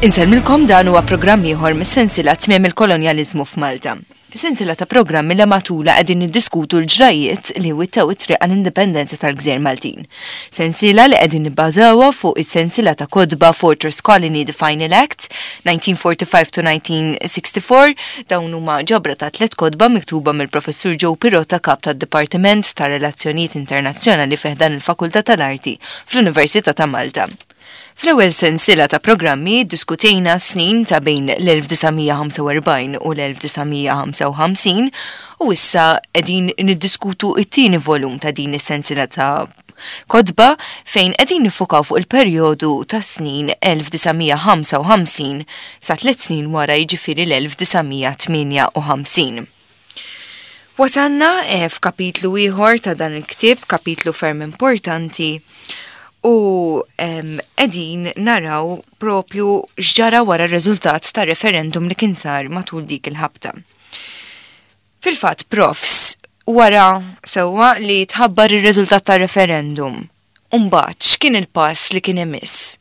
Insellmilkom dan huwa programm ieħor mis-sensiela Tmiem il-Kolonjaliżmu f'Malta. Sensiela ta' programmi li matulha qegħdin niddiskutu l-ġrajjiet li wittew it-triq għall-indipendenza tal-gżejjer Maltin. Sensiela li qegħdin nibbażawha fuq is-sensiela ta' kotba Fortress Colony The Final Act, 1945 to 1964, dawn huma ġabra ta' tlett kotba miktuba mill-Professur Joe Pirotta Kap tad-Dipartiment ta' Relazzjonijiet Internazzjonali fi ħdan il-Fakultà tal-Arti fl-Università ta' Malta. Fl-ewwel sensiela ta' programmi ddiskutejna s-snin ta' bejn l-1945 u l-1955 u issa qegħdin niddiskutu t-tieni volum ta' din is-sensiela ta' kotba fejn qegħdin niffukaw fuq il-perjodu tas-snin 1955 sa tliet snin wara jiġifieri l-1958. Wasalna eh, f'kapitlu ieħor ta' dan il-ktieb, kapitlu ferm importanti, u qegħdin naraw propju x'ġara wara r-riżultat ta' referendum li kien sar matul dik il-ħabta. Fil-fatt, profs, wara sewwa li tħabbar ir-riżultat ta' referendum, mbagħad x'kien il-pass li kien imiss?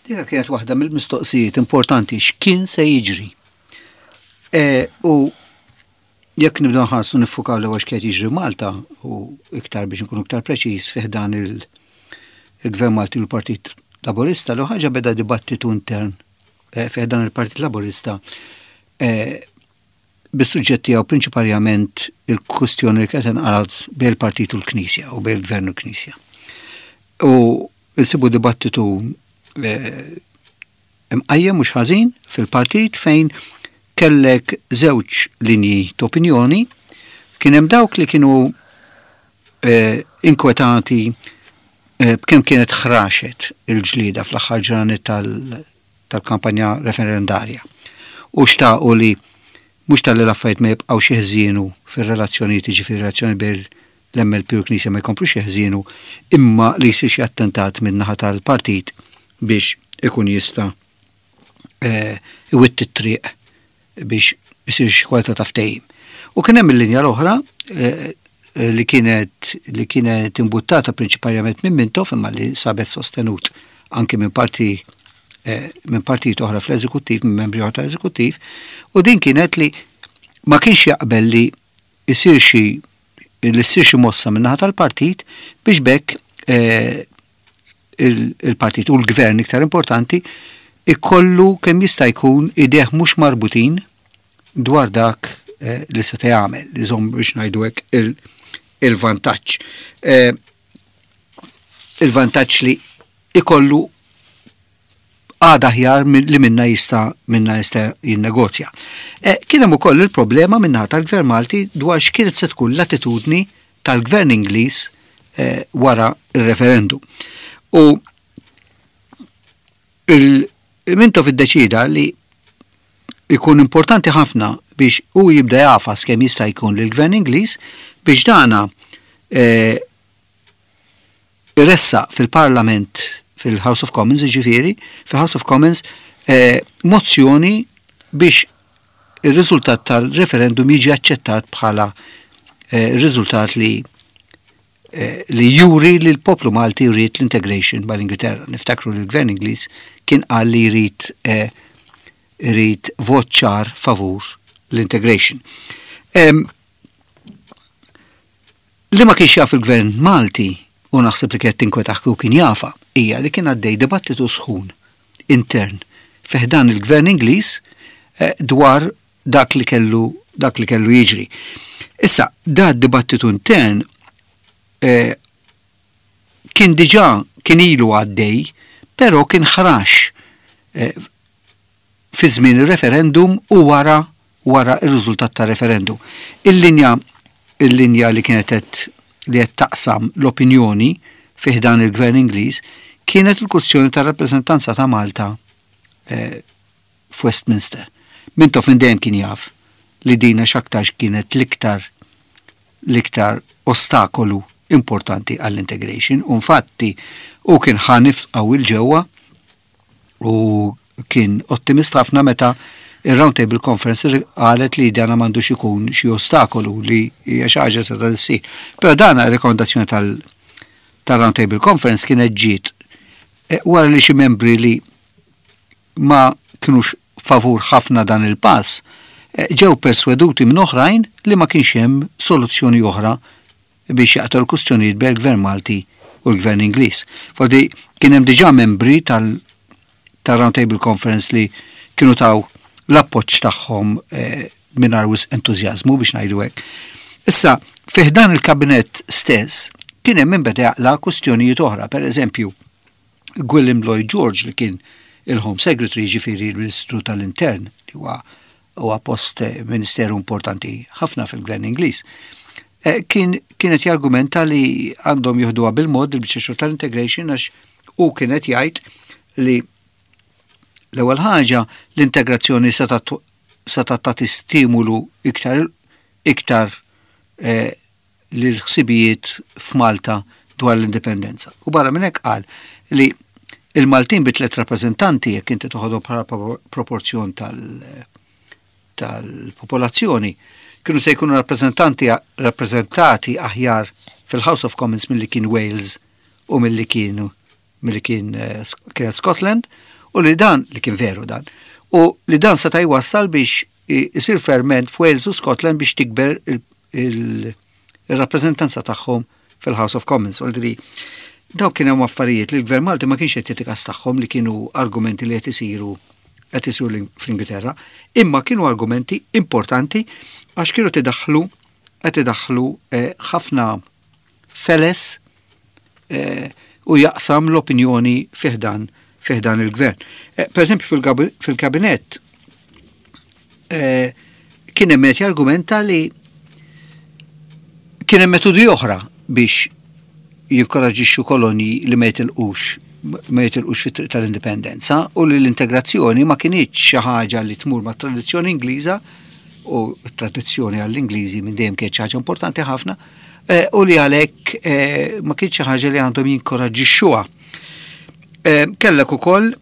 Dika kienet waħda mill-mistoqsijiet importanti x'kien se jiġri. E, u jekk nibdew nħarsu niffukaw l-ewwel x'kien jiġri Malta u iktar biex nkunu iktar preċiż fih dan il-Gvern Malti u l-Partit Laburista, l ħaġa beda dibattitu intern e, fih dan il-Partit Laburista e, bis-suġġett tiegħu prinċiparjament il-kwistjoni li kienet inqalgħet bejn il-partit u l-Knisja u bejn il-Gvern u l-Knisja. U nsibu dibattitu eh, imqajjem mhux ħażin fil-partit fejn kellek żewġ linji ta' opinjoni, kien hemm dawk li kienu eh, inkwetati eh, b'kemm kienet ħraxet il-ġlieda fl-aħħar ġranet tal-kampanja referendarja u xtaqu li mhux talli l-affarijiet ma jibqgħux jeħżienu fir-relazzjonijiet jiġifieri relazzjoni bejn l-MLP u l-Knisja ma jkomplux jeħżienu imma li jsir xi attentat min-naħa tal-partit biex ikun jista' eh, iwitti t-triq biex isir xi kwalità ta' ftehim. U kien hemm il-linja l-oħra eh, eh, li kienet li kienet imbuttata prinċipalment minn Mintoff imma li sabet sostenut anki minn parti eh, minn partit oħra fl-eżekuttiv, minn membri oħra tal-eżekuttiv, u din kienet li ma kienx jaqbel li isir xi li ssir xi mossa minn naħa tal-partit biex bekk il-partit u l-gvern iktar importanti ikollu kemm jista' jkun idejh mhux marbutin dwar dak eh, li se jagħmel, li żomm biex ngħidu hekk il-vantaġġ. Eh, il-vantaġġ li ikollu għada aħjar li minna jista' minna jista' jinnegozja. Eh, kien hemm ukoll il-problema minnaħa tal-Gvern Malti dwar x'kienet se tkun l-attitudni tal-Gvern Ingliż eh, wara il-referendum. U il-Mintoff iddeċida li ikun importanti ħafna biex u jibda jafas kemm jista' jkun lill-Gvern Ingliż biex dana eh, iressaq fil-Parlament fil-House of Commons, ġifieri, fil-House of Commons, eh, mozzjoni biex ir-riżultat tal-referendum jiġi aċċettat bħala eh, riżultat li eh, li juri li l-poplu Malti jrid l-integration mal-Ingilterra. Niftakru li l-Gvern Ingliż kien qal li jrid eh, jrid vot ċar favur l-integration. Li ma kienx jaf il-Gvern Malti, u naħseb li kienet tinkwetah kieku kien jafha, hija li kien għaddej dibattitu sħun intern fi ħdan il-Gvern Ingliż eh, dwar dak li kellu dak li kellu jiġri. Issa, da dibattitu intern eh, kien diġà kien ilu għaddej, però kien ħrax eh, fi żmien ir-referendum u wara wara r-riżultat tar-referendum. Il-linja il-linja li kienet qed li qed taqsam l-opinjoni fi ħdan il-Gvern Ingliż kienet il-kwestjoni tar-rappreżentanza ta' Malta eh, f'Westminster. Mintoff minn dejjem kien jaf li dina x'aktarx kienet l-iktar l-iktar ostakolu importanti għall-integration u infatti u kien ħa nifs qawwi l-ġewwa U kien ottimist ħafna meta ir-Round Table Conference qalet li dana m'għandux ikun xi ostakolu li hija xi ħaġa se ssir. Però dana rekomendazzjoni tal-Round Table Conference kienet ġiet eh, wara li xi membri li ma kinux favur ħafna dan il-pass, ġew persweduti minn oħrajn li ma kienx hemm soluzzjoni oħra biex jaqtgħu l-kustjonijiet bejn il-Gvern Malti u l-Gvern Ingliż. Fordi kien hemm diġà membri tal tar-Round Table Conference li kienu taw l-appoġġ tagħhom eh, mingħajr wisq entużjażmu biex ngħidu hekk. Issa, fih dan il-kabinett stess kien hemm min beda jaqla' kwistjonijiet oħra, per eżempju, Gwilym Lloyd George li kien il-Home Secretary, ġifieri l-Ministru tal-Intern, li huwa huwa post eh, ministeru importanti ħafna fil-Gvern Ingliż. Eh, kien kienet jargumenta li għandhom jieħduha bil-mod il-biċċa xogħol tal-integration għax u kienet jgħid li l-ewwel ħaġa l-integrazzjoni seta' tagħti stimulu iktar iktar eh, l-ħsibijiet f'Malta dwar l-indipendenza. U barra minn hekk qal li il-Maltin bi tlet rappreżentanti jekk inti toħodhom bħala proporzjon tal-popolazzjoni kienu se jkunu rappreżentanti rappreżentati aħjar fil-House of Commons milli kien Wales u milli kienu milli kien eh, kienet Scotland u li dan li kien veru dan u li dan seta' jwassal biex isir ferment f'Wales u Scotland biex tikber il-rappreżentanza tagħhom fil-House of Commons. U li dawk kien hemm affarijiet li l-Gvern Malti ma kienx qed jagħti każ tagħhom li kienu argumenti li qed isiru qed isiru fl-Ingilterra, imma kienu argumenti importanti għax kienu tidaħħlu qed idaħħlu eh, ħafna feles eh, u jaqsam l-opinjoni fiħdan fiħdan il-gvern. Eh, per eżempju fil-kabinett eh, kien hemm qed jargumenta li kien hemm metodi oħra biex jinkoraġixxu kolonji li ma jitilqux ma jitilqux fit-triq tal-indipendenza u li l-integrazzjoni ma kinitx xi ħaġa li tmur mat tradizzjoni Ingliża u t-tradizzjoni għall-Ingliżi minn dejjem kienet xi ħaġa importanti ħafna eh, u li għalhekk eh, ma kienx xi ħaġa li għandhom jinkoraġġixxuha. Eh, kellek ukoll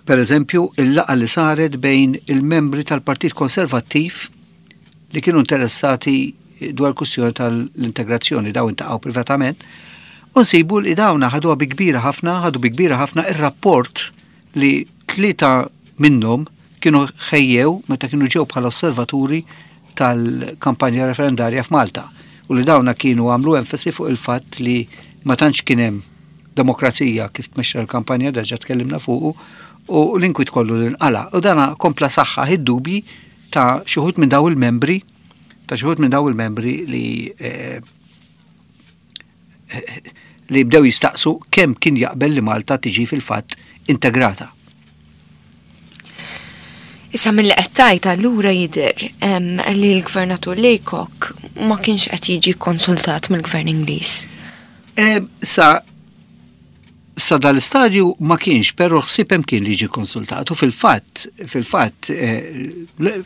per eżempju il-laqa li saret bejn il-membri tal-Partit Konservattiv li kienu interessati dwar kustjoni tal-integrazzjoni daw intaqgħu privatament u nsibu li dawna ħaduha bi kbira ħafna, ħadu bi kbira ħafna ir-rapport li tlieta minnhom kienu ħejjew meta kienu ġew bħala osservaturi tal-kampanja referendarja f'Malta u li dawna kienu għamlu enfasi fuq il-fatt li ma tantx kien hemm demokrazija kif tmexxa l-kampanja deġa tkellimna fuqu u l-inkwit kollu li nqala. U dana kompla saħħaħ id-dubji ta' xi wħud minn daw il-membri ta' xi wħud minn daw il-membri li eh, li bdew jistaqsu kemm kien jaqbel li Malta tiġi fil-fatt integrata. Issa mill-li qed tgħid allura jidher li l-Gvernatur Laycock ma kienx qed jiġi konsultat mill-Gvern Ingliż. Sa sa dal-istadju ma kienx, però ħsieb hemm kien li jiġi konsultat u fil-fatt fil-fatt eh,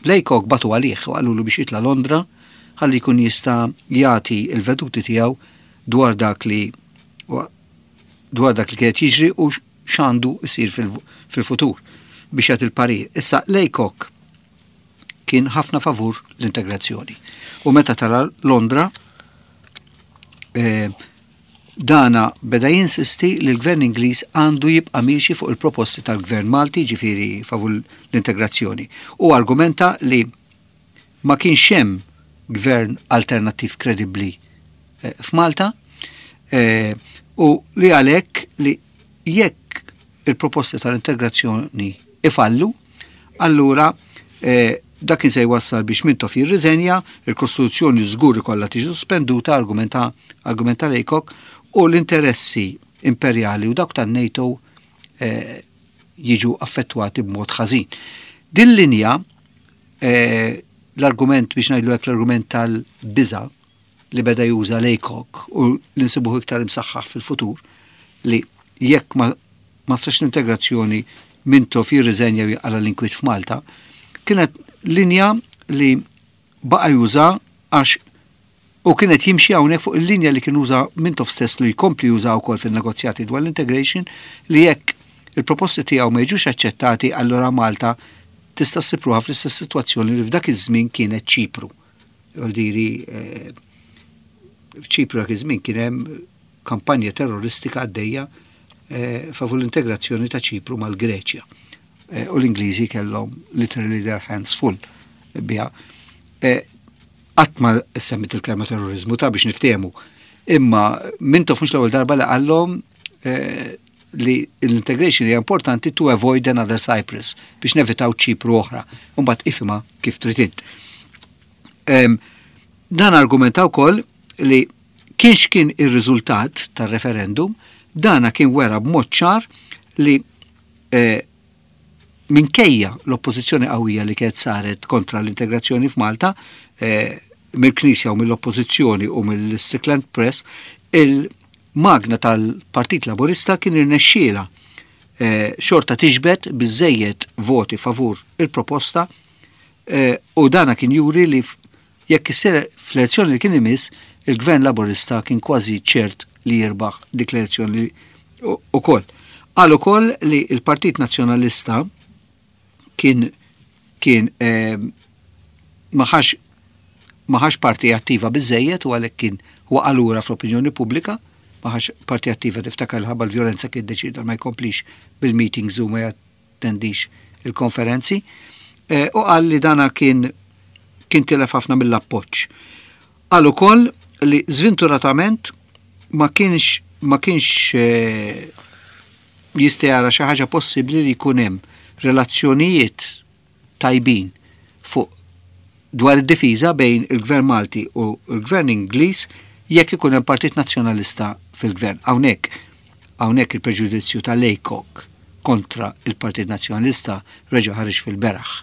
Laycock bagħtu għalih u qalulu biex jitla' Londra ħalli jkun jista' jagħti l-veduti tiegħu dwar dak li dwar dak li kien qed jiġri u x'għandu jsir fil-futur biex jagħti l-parir. Issa Laycock kien ħafna favur l-integrazzjoni. U meta tala Londra, eh, Dana beda jinsisti li l-Gvern Ingliż għandu jibqa' miexi fuq il-proposti tal-Gvern Malti, jiġifieri favur l-integrazzjoni, u argumenta li ma kienx hemm gvern alternattiv kredibbli f'Malta u li għalhekk li jekk il-proposti tal-integrazzjoni ifallu, allura eh, dak kien se jwassal biex Mintoff jirriżenja, il-Kostituzzjoni żgur ikollha tiġi sospenduta, argumenta argumenta Laycock, u l-interessi imperjali u dawk tan-NATO eh, jiġu affettwati b'mod ħażin. Din linja eh, l-argument biex ngħidlu hekk l-argument tal-biża' li beda juża Laycock u li nsibuh iktar imsaħħaħ fil-futur li jekk ma ma ssirx l-integrazzjoni Mintoff jirriżenja u jinqala' l-inkwiet f'Malta, kienet linja li baqa' juża għax u kien qed jimxi hawnhekk fuq il-linja li kien uża Mintoff stess li jkompli juża wkoll fin-negozjati dwar l-integration li jekk il-proposti tiegħu ma jiġux aċċettati allura Malta tista' ssib ruħha fl-istess sitwazzjoni li f'dak iż-żmien kienet Ċipru. Vuol eh, f'Ċipru dak iż-żmien kien hemm kampanja terroristika għaddejja eh, favur l-integrazzjoni ta' Ċipru mal-Greċja. Eh, u l-Ingliżi kellhom literally their hands full biha. Eh, qatt ma semmit il-kelma terrorizmu ta' biex niftehmu. Imma Mintoff mhux l-ewwel darba li qallhom eh, li l-integration hija importanti to avoid another Cyprus biex nevitaw Ċipru oħra. Mbagħad ifhimha kif trid int. Dan argumenta wkoll li kienx kien ir-riżultat tar-referendum, dana kien wera b'mod ċar li eh, minkejja l-oppożizzjoni qawwija li kienet saret kontra l-integrazzjoni f'Malta, eh, mill-Knisja u mill-Oppożizzjoni u mill-Strickland Press, il-magna tal-Partit Laburista kien irnexxiela eh, xorta tiġbed biżejjed voti favur il-proposta eh, u dana kien juri li jekk issir fl-elezzjoni li kien imiss, il-Gvern Laburista kien kważi ċert li jirbaħ dik l-elezzjoni ukoll. Qal ukoll li l-Partit Nazzjonalista kien kien eh, ma ħax parti attiva biżejjed u għalhekk kien waqa' lura fl-opinjoni pubblika, ma ħax parti attiva tiftakar ħabba l-vjolenza kien deċida ma jkomplix bil-meetings u ma jattendix il-konferenzi. Eh, u qal li dana kien kien tilef ħafna mill-appoġġ. Qal ukoll li żventuratament ma kienx ma kienx eh, jista' jara xi ħaġa possibbli li jkun hemm relazzjonijiet tajbin fuq dwar id-difiża bejn il-Gvern Malti u l-Gvern Ingliż jekk ikun hemm Partit Nazzjonalista fil-Gvern. Hawnhekk hawnhekk il-preġudizzju ta' Laycock kontra il-Partit Nazzjonalista reġa' ħareġ fil-beraħ.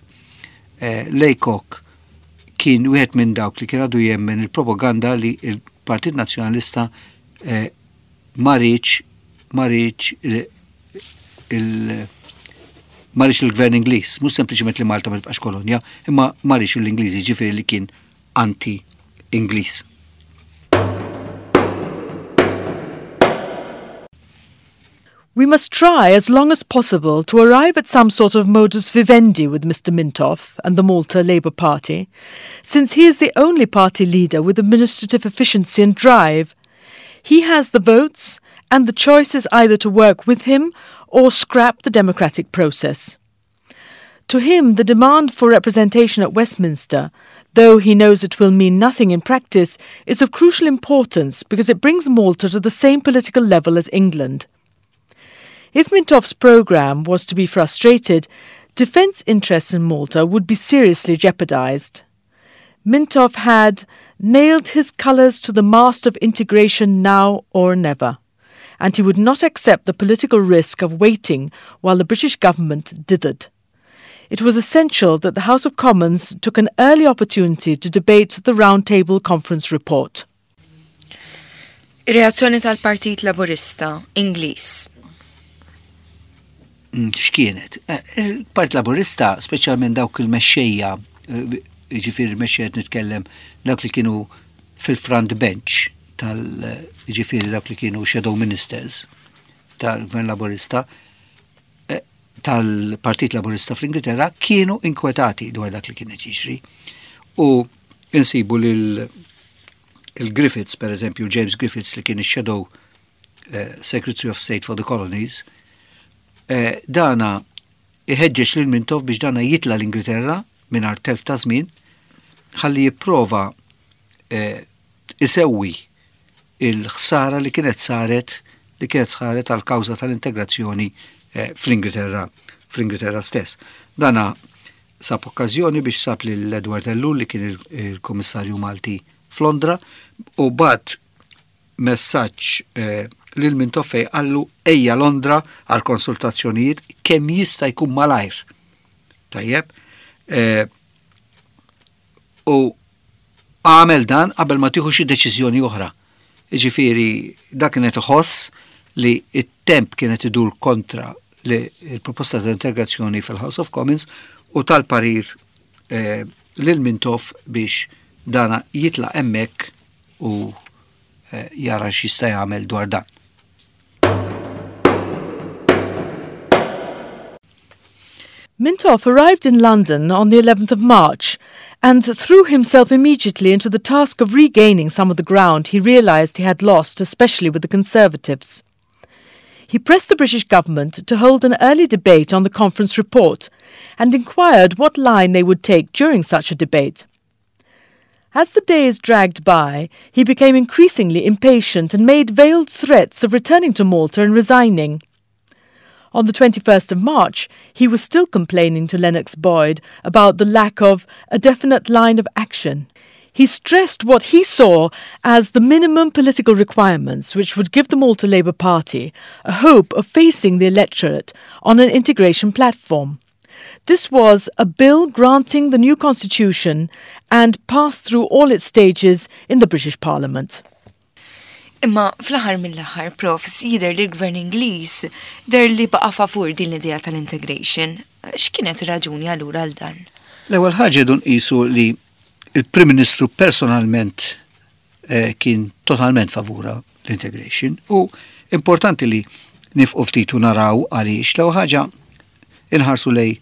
Eh, Laycock kien wieħed minn dawk li kien għadu jemmen il-propaganda li il-Partit Nazzjonalista eh, ma riedx ma riedx il ma riedx il-gvern Ingliż, mhux sempliċement li Malta ma tibqax kolonja, imma ma riedx l-Ingliżi ġifieri li kien anti-Ingliż. We must try as long as possible to arrive at some sort of modus vivendi with Mr. Mintoff and the Malta Labour Party, since he is the only party leader with administrative efficiency and drive. He has the votes, and the choice is either to work with him or scrap the democratic process. To him, the demand for representation at Westminster, though he knows it will mean nothing in practice, is of crucial importance because it brings Malta to the same political level as England. If Mintoff's programme was to be frustrated, defence interests in Malta would be seriously jeopardised. Mintoff had nailed his colours to the mast of integration now or never, and he would not accept the political risk of waiting while the British government dithered. It was essential that the House of Commons took an early opportunity to debate the Round Table Conference report. Reazzjoni tal-Partit Laburista Ingliż. Mm, x'kienet? Eh, Il-Partit Laburista, speċjalment dawk il-mexxejja, eh, ġifieri mexxejja nitkellem dawk li kienu fil-front bench tal ġifieri dawk li kienu shadow ministers tal-Gvern Laburista, eh, tal-Partit Laburista fl-Ingilterra kienu inkwetati dwar dak li kienet jiġri. U insibu lil il-Griffiths, per eżempju, James Griffiths li kien il-Shadow eh, Secretary of State for the Colonies, eh, dana iħeġġeġ lil Mintoff biex dana jitla l-Ingilterra mingħajr telf ta' żmien ħalli jipprova eh, isewwi il-ħsara li kienet saret li kienet saret għal kawża tal-integrazzjoni eh, fl-Ingilterra fl-Ingilterra stess. Dana sab okkażjoni biex sab lil Edward Ellul li kien il-Kummissarju Malti f'Londra u bagħat messaġġ eh, lil Mintoff fejn qallu ejja Londra għal konsultazzjonijiet kemm jista' jkun malajr. Tajjeb. Eh, u għamel dan qabel ma tieħu xi deċiżjoni oħra. Jiġifieri dak kienet iħoss li it-temp kienet idur kontra li il-proposta ta' integrazzjoni fil-House of Commons u tal-parir eh, lil Mintoff biex dana jitla hemmhekk u eh, jara x'jista' jagħmel dwar dan. Mintoff arrived in London on the 11th of March and threw himself immediately into the task of regaining some of the ground he realized he had lost, especially with the Conservatives. He pressed the British government to hold an early debate on the conference report and inquired what line they would take during such a debate. As the days dragged by, he became increasingly impatient and made veiled threats of returning to Malta and resigning. On the 21st of March, he was still complaining to Lennox Boyd about the lack of a definite line of action. He stressed what he saw as the minimum political requirements which would give the Malta Labour Party a hope of facing the electorate on an integration platform. This was a bill granting the new constitution and passed through all its stages in the British Parliament. Imma fl-aħħar mill-aħħar, Prof, jidher li l-Gvern Ingliż deher li baqa' favur din l-idea tal-integration. X'kienet ir-raġuni allura għal dan? L-ewwel ħaġa rridu nqisu li il-Prim Ministru personalment kien totalment favura l-integration u importanti li nifqu ftit u naraw għaliex. L-ewwel ħaġa inħarsu lej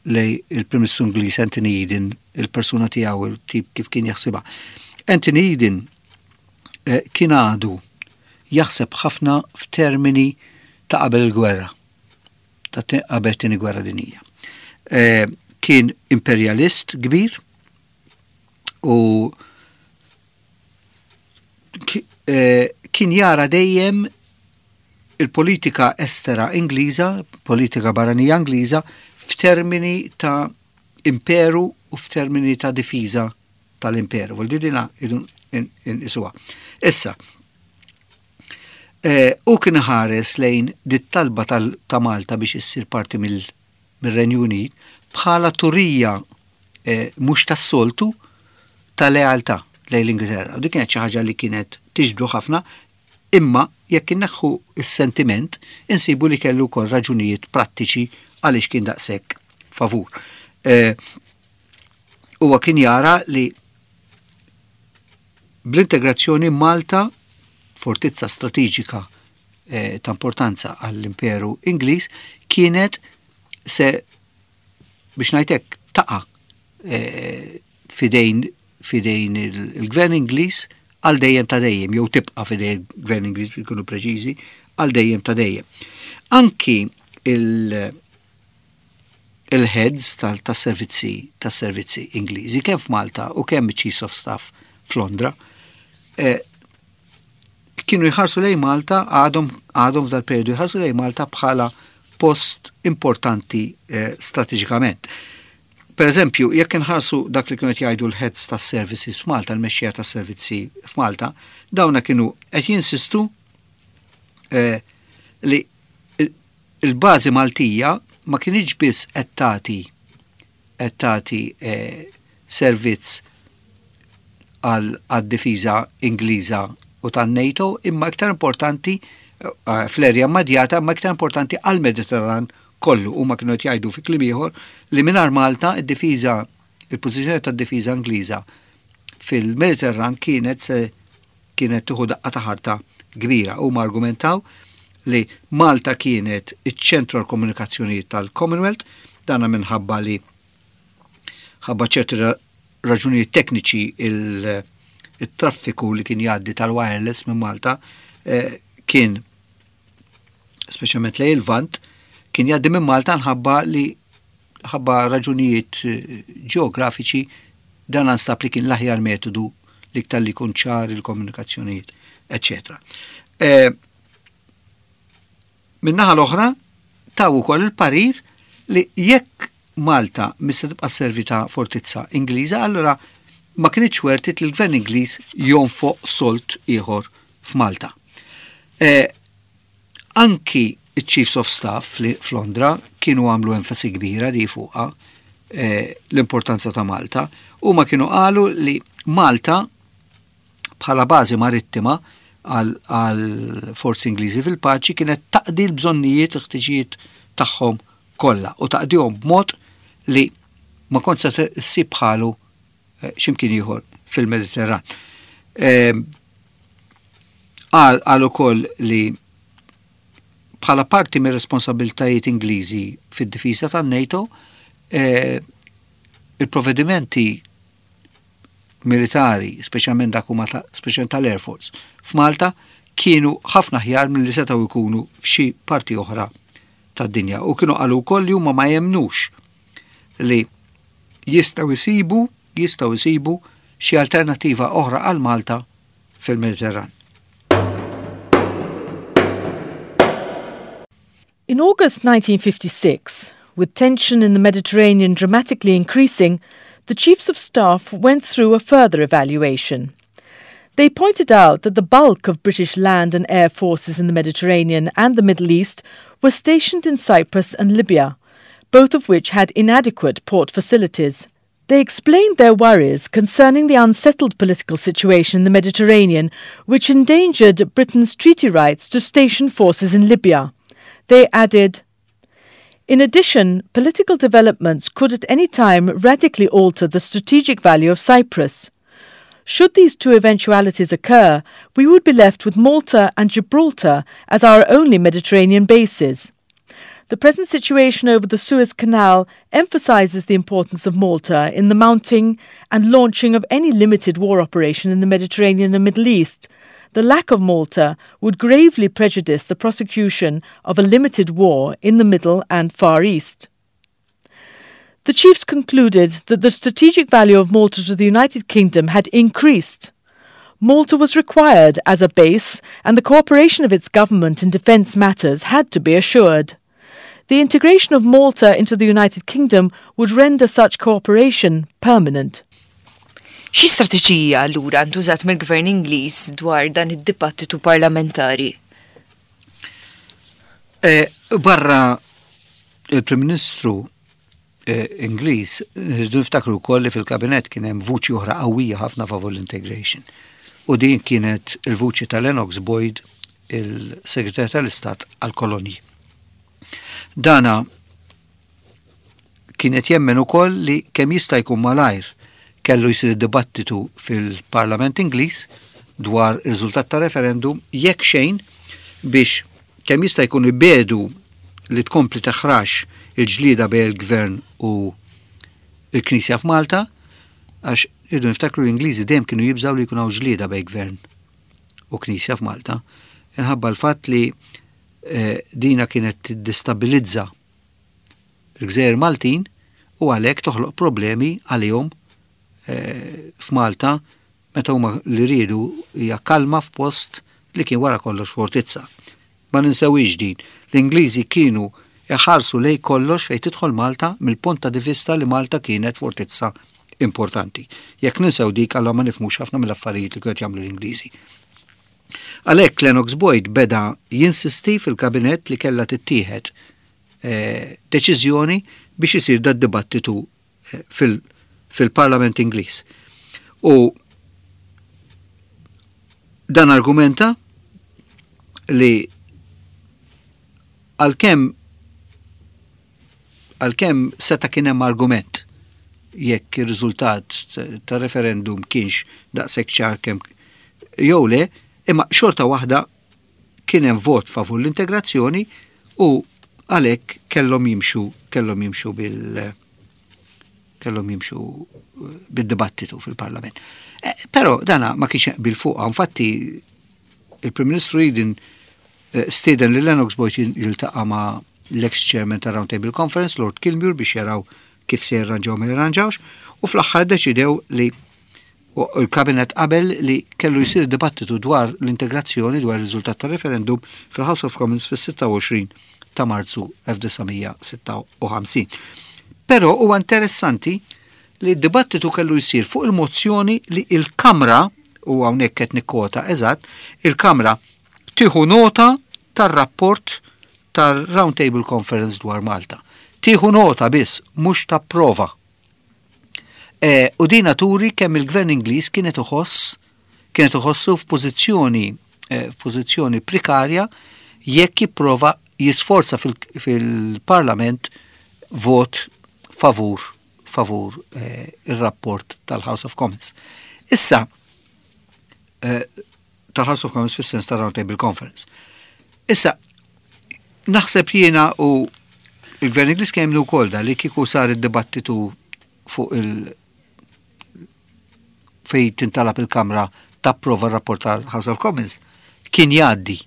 il-Prim Ministru Ingliż Anthony Eden, il-persuna tiegħu, il-tip kif kien jaħsibha. Anthony Eden kien għadu jaħseb ħafna f'termini ta' qabel il-gwerra, ta' qabel tieni gwerra dinjija. Kien imperialist kbir u kien jara dejjem il-politika estera Ingliża, politika barranija Ingliża, f'termini ta' imperu u f'termini ta' difiża tal-imperu. Vuol dire dina idun inqisuha. Issa, u kien ħares lejn dit-talba ta' Malta biex issir parti mill-Renju Unit bħala turija mhux tas-soltu ta' lealtà lejn l-Ingilterra. U dik kienet xi ħaġa li kienet tiġbdu ħafna, imma jekk inneħħu s-sentiment, insibu li kellu wkoll raġunijiet prattiċi għaliex kien daqshekk favur. Huwa kien jara li bl-integrazzjoni Malta, fortizza strateġika ta' importanza għall-Imperu Ingliż, kienet se, biex ngħidlek, taqa' fidejn il-Gvern Ingliż għal dejjem ta' dejjem, jew tibqa' fidejn il-Gvern Ingliż biex ikunu preċiżi, għal dejjem ta' dejjem. Anki il-heads tas-servizzi Ingliżi, kemm f'Malta u kemm Chiefs of Staff f'Londra, kienu jħarsu lejn Malta, għadhom f'dal periodu jħarsu lejn Malta bħala post importanti strateġikament. Per eżempju, jekk inħarsu dak li kienu qed jgħidu l-heads tas-services f'Malta, l-mexxija tas-servizzi f'Malta, dawna kienu qed jinsistu li il-bażi Maltija ma kienx biss qed tagħti servizz għad-difiża Ingliża u tan-NATO, imma iktar importanti fl-erja immedjata, imma iktar importanti għall-Mediterran kollu. Huma kienu qed jgħidu fi kliem ieħor li mingħajr Malta id-difiża, il-pożizzjoni tad-difiża Ingliża fil-Mediterran kienet tieħu daqqa ta' ħarta kbira. Huma argumentaw li Malta kienet iċ-ċentru għall-komunikazzjonijiet tal-Commonwealth, dana minħabba li ħabba ċerti raġunijiet tekniċi il-traffiku li kien jgħaddi tal-wireless minn Malta kien speċjalment lejn il-Lvant, kien jgħaddi minn Malta nħabba li ħabba raġunijiet ġeografiċi dan anstab li kien l-aħjar metodu li iktar li jkun ċar il-komunikazzjonijiet, eccetera. Min-naħa l-oħra, taw ukoll il-parir li jekk Malta mista tibqa' sservi ta' fortizza Ingliża, allura ma kienx worth it li l-Gvern Ingliż jonfoq sold ieħor f'Malta. Anki il-Chiefs of Staff f'Londra kienu għamlu enfasi kbira di fuqa l-importanza ta' Malta u ma kienu qalu li Malta bħala bażi marittima għal forzi Ingliżi fil-paċi kienet taqdi l-bżonnijiet, il-ħtiġijiet tagħhom kollha u taqdihom b'mod li ma kont se ssib bħalu x'imkien ieħor fil-Mediterran. Qal ukoll li bħala parti mir-responsabiltajiet Ingliżi fid-difiża tan-NATO, il-provvedimenti militari, speċjalment dak huma speċjalment tal-Air Force, f'Malta kienu jkunu kienu ħafna aħjar milli setgħu jkunu f'xi parti oħra tad-dinja u kienu qalu wkoll li huma ma jemmnux li jistgħu jsibu jistgħu jsibu xi alternattiva oħra għal Malta fil-Mediterran. In August 1956, with tension in the Mediterranean dramatically increasing, the Chiefs of Staff went through a further evaluation. They pointed out that the bulk of British land and air forces in the Mediterranean and the Middle East were stationed in Cyprus and Libya, both of which had inadequate port facilities. They explained their worries concerning the unsettled political situation in the Mediterranean, which endangered Britain's treaty rights to station forces in Libya. They added, In addition, political developments could at any time radically alter the strategic value of Cyprus. Should these two eventualities occur, we would be left with Malta and Gibraltar as our only Mediterranean bases. The present situation over the Suez Canal emphasizes the importance of Malta in the mounting and launching of any limited war operation in the Mediterranean and Middle East. The lack of Malta would gravely prejudice the prosecution of a limited war in the Middle and Far East. The chiefs concluded that the strategic value of Malta to the United Kingdom had increased. Malta was required as a base, and the cooperation of its government in defence matters had to be assured. The integration of Malta into the United Kingdom would render such cooperation permanent. Xi strateġija allura ntużat mill-Gvern Ingliż dwar dan id-dibattitu parlamentari? E, barra il-Prim Ministru e, Ingliż, rridu niftakru wkoll li fil-kabinett kien hemm vuċi oħra qawwija ħafna favur l-integration. U din kienet il-vuċi ta' Lennox Boyd, il-Segretarju tal-Istat għal-Kolonji. Dana kien qed jemmen ukoll li kemm jista' jkun malajr kellu jsir dibattitu fil-Parlament Ingliż dwar ir-riżultat ta' referendum jekk xejn biex kemm jista' jkun ibiegħdu li tkompli taħrax il-ġlieda bejn il-Gvern u l-Knisja f'Malta għax irridu niftakru l-Ingliżi dejjem kienu jibżgħu li jkun hawn ġlieda bejn Gvern u Knisja f'Malta inħabba l-fatt li eh, dina kienet tiddistabilizza l-gżejjer Maltin u għalhekk toħloq problemi għalihom eh, f'Malta meta huma li riedu hija kalma f'post li kien wara kollox fortizza. Ma ninsewix din, l-Ingliżi kienu iħarsu lej kollox fejn tidħol Malta mill-punt ta' vista li Malta kienet fortizza importanti. Jekk ninsew dik allura ma nifhmux ħafna mill-affarijiet li kienu jagħmlu l-Ingliżi. Għalhekk Lennox Boyd beda jinsisti fil-kabinett li kellha tittieħed eh, deċiżjoni biex isir da dibattitu eh, fil-Parlament Ingliż. U dan argumenta li għalkemm għalkemm seta' kien hemm argument jekk ir-riżultat ta' referendum kienx daqshekk ċar kemm jew le, imma xorta waħda kien hemm vot favur l-integrazzjoni u għalhekk kellhom jimxu kellhom jimxu bil kellhom jimxu bid-dibattitu fil-Parlament. Eh, però dana ma kienx bil fuqha, infatti il-Prim Ministru Eden eh, stieden li Lennox Boyd jiltaqa' ma' l-ex chairman ta' Round Table Conference, Lord Kilmuir, biex jaraw kif se jirranġaw ma jirranġawx, u fl-aħħar deċidew li il-kabinet qabel li kellu jsir dibattitu dwar l-integrazzjoni dwar il-riżultat tar-referendum fil-House of Commons fis-26 ta' Marzu 1956. Però huwa interessanti li d-dibattitu kellu jsir fuq il-mozzjoni li il-Kamra, u hawnhekk qed nikkota eżatt, il-Kamra tieħu nota tar-rapport tar-Round Table Conference dwar Malta. Tieħu nota biss, mhux tapprova. E, u dina turi kemm il-gvern Ingliż kienet iħoss kienet iħossu f'pożizzjoni e, f'pożizzjoni prekarja jekk jipprova jisforza fil-Parlament vot favur favur e, ir-rapport tal-House of Commons. Issa, e, tal-House of Commons fis-sens ta' Round Table Conference. Issa, naħseb jiena u il-Gvern Ingliż kemm wkoll da li kieku sar id-dibattitu fuq il- fej tintalab il-Kamra tapprova r-rapport tal-House of Commons. kien jgħaddi.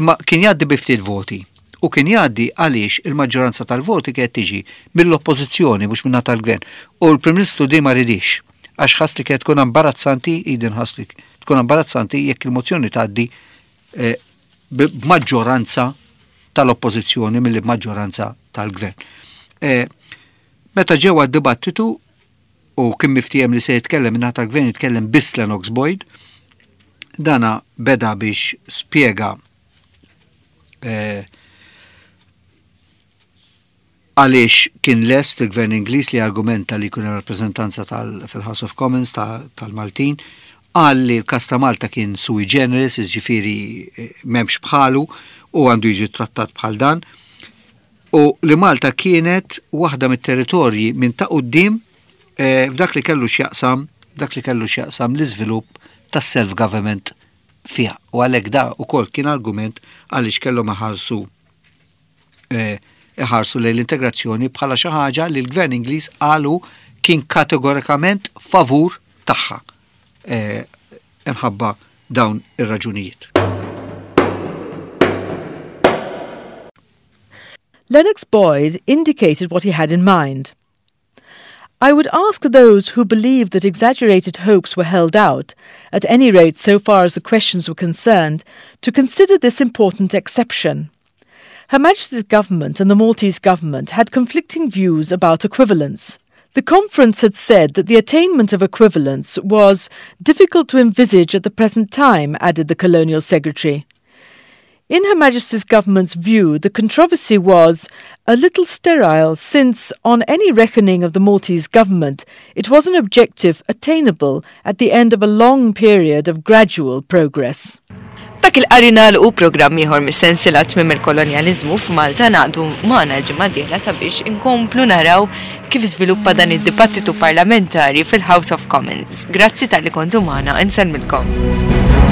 Imma kien jgħaddi bi ftit voti. U kien jgħaddi għaliex il-maġġoranza tal-voti kienet tiġi mill-oppożizzjoni mhux min-naħa tal-gvern. U l-Prim Ministru din ma ridhiex għax ħass li kienet tkun imbarazzanti, Eden ħass li tkun imbarazzanti jekk il-mozzjoni tgħaddi eh, b'maġġoranza tal-oppożizzjoni milli b'maġġoranza tal-gvern. Eh, meta ġew għad-dibattitu u kien miftiehem li se jitkellem min-naħa tal-gvern jitkellem biss Lennox Boyd, dana beda biex spjega eh, għaliex kien lest il-gvern Ingliż li argumenta li jkun hemm rappreżentanza fil-House of Commons tal-Maltin, qal li l-każ ta' Malta kien sui generis, jiġifieri eh, m'hemmx bħalu u għandu jiġi trattat bħal dan, u li Malta kienet waħda mit-territorji minn ta' quddiem eh, f'dak li kellu x'jaqsam dak li kellu x'jaqsam l-iżvilupp tas-self-government fiha. U għalhekk da ukoll kien argument għaliex kellhom iħarsu eh, iħarsu lejn l-integrazzjoni bħala xi ħaġa li l-Gvern Ingliż qalu kien kategorikament favur tagħha eh, inħabba dawn ir-raġunijiet. Lennox Boyd indicated what he had in mind. I would ask those who believe that exaggerated hopes were held out, at any rate so far as the questions were concerned, to consider this important exception. Her Majesty's government and the Maltese government had conflicting views about equivalence. The conference had said that the attainment of equivalence was difficult to envisage at the present time, added the colonial secretary. In Her Majesty's government's view, the controversy was a little sterile since, on any reckoning of the Maltese government, it was an objective attainable at the end of a long period of gradual progress. Dak il-qari nagħlqu programm ieħor mis-sensiela Tmiem il-Kolonjaliżmu f'Malta ngħaqdu magħna l-ġimgħa d-dieħla sabiex inkomplu naraw kif żviluppa dan id-dibattitu parlamentari fil-House of Commons. Grazzi talli kontu magħna, insellmilkom.